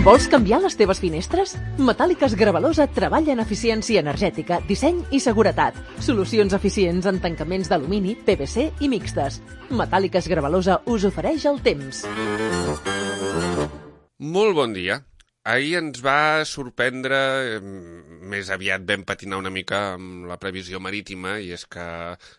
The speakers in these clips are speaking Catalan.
Vols canviar les teves finestres? Metàl·liques Gravalosa treballa en eficiència energètica, disseny i seguretat. Solucions eficients en tancaments d'alumini, PVC i mixtes. Metàl·liques Gravalosa us ofereix el temps. Molt bon dia. Ahir ens va sorprendre, més aviat vam patinar una mica amb la previsió marítima, i és que,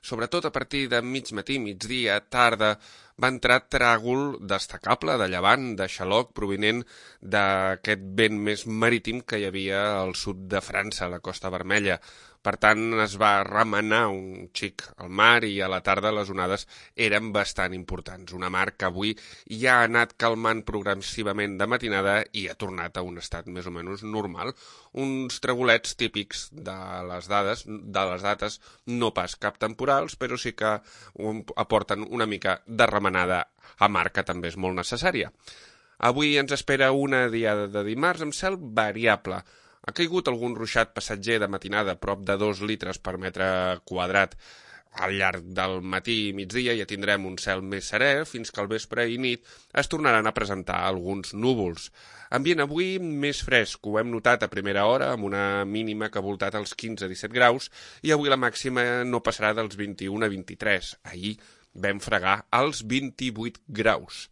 sobretot a partir de mig matí, migdia, tarda, va entrar tràgol destacable de llevant, de xaloc, provinent d'aquest vent més marítim que hi havia al sud de França, a la Costa Vermella. Per tant, es va remenar un xic al mar i a la tarda les onades eren bastant importants. Una mar que avui ja ha anat calmant progressivament de matinada i ha tornat a un estat més o menys normal. Uns tragolets típics de les dates, no pas cap temporals, però sí que aporten una mica de remenada a mar, que també és molt necessària. Avui ens espera una diada de dimarts amb cel variable. Ha caigut algun ruixat passatger de matinada, prop de 2 litres per metre quadrat. Al llarg del matí i migdia ja tindrem un cel més serè, fins que al vespre i nit es tornaran a presentar alguns núvols. Ambient avui més fresc, ho hem notat a primera hora, amb una mínima que ha voltat als 15-17 graus, i avui la màxima no passarà dels 21 a 23. Ahir vam fregar als 28 graus.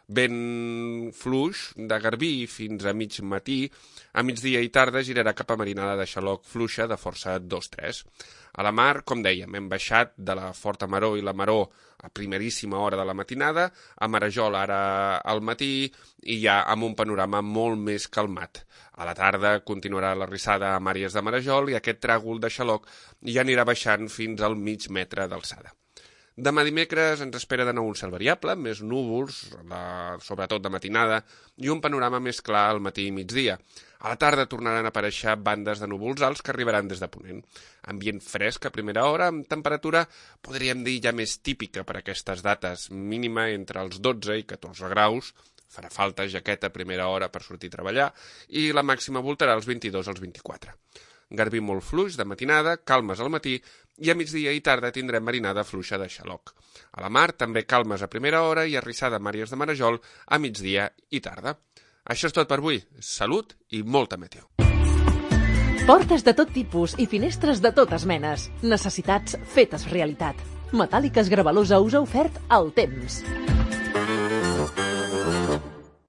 Vent fluix de garbí fins a mig matí, a migdia i tarda girarà cap a marinada de xaloc fluixa de força 2-3. A la mar, com dèiem, hem baixat de la forta maror i la maror a primeríssima hora de la matinada, a Marajol ara al matí i ja amb un panorama molt més calmat. A la tarda continuarà la rissada a Màries de Marajol i aquest tràgol de xaloc ja anirà baixant fins al mig metre d'alçada. Demà dimecres ens espera de nou un cel variable, més núvols, sobretot de matinada, i un panorama més clar al matí i migdia. A la tarda tornaran a aparèixer bandes de núvols alts que arribaran des de ponent. Ambient fresc a primera hora, amb temperatura, podríem dir, ja més típica per a aquestes dates, mínima entre els 12 i 14 graus, farà falta jaqueta a primera hora per sortir a treballar, i la màxima voltarà als 22 als 24. Garbí molt fluix de matinada, calmes al matí, i a migdia i tarda tindrem marinada fluixa de xaloc. A la mar també calmes a primera hora i arrissada a Màries de Marajol a migdia i tarda. Això és tot per avui. Salut i molta meteo. Portes de tot tipus i finestres de totes menes. Necessitats fetes realitat. Metàl·liques Gravalosa us ha ofert el temps.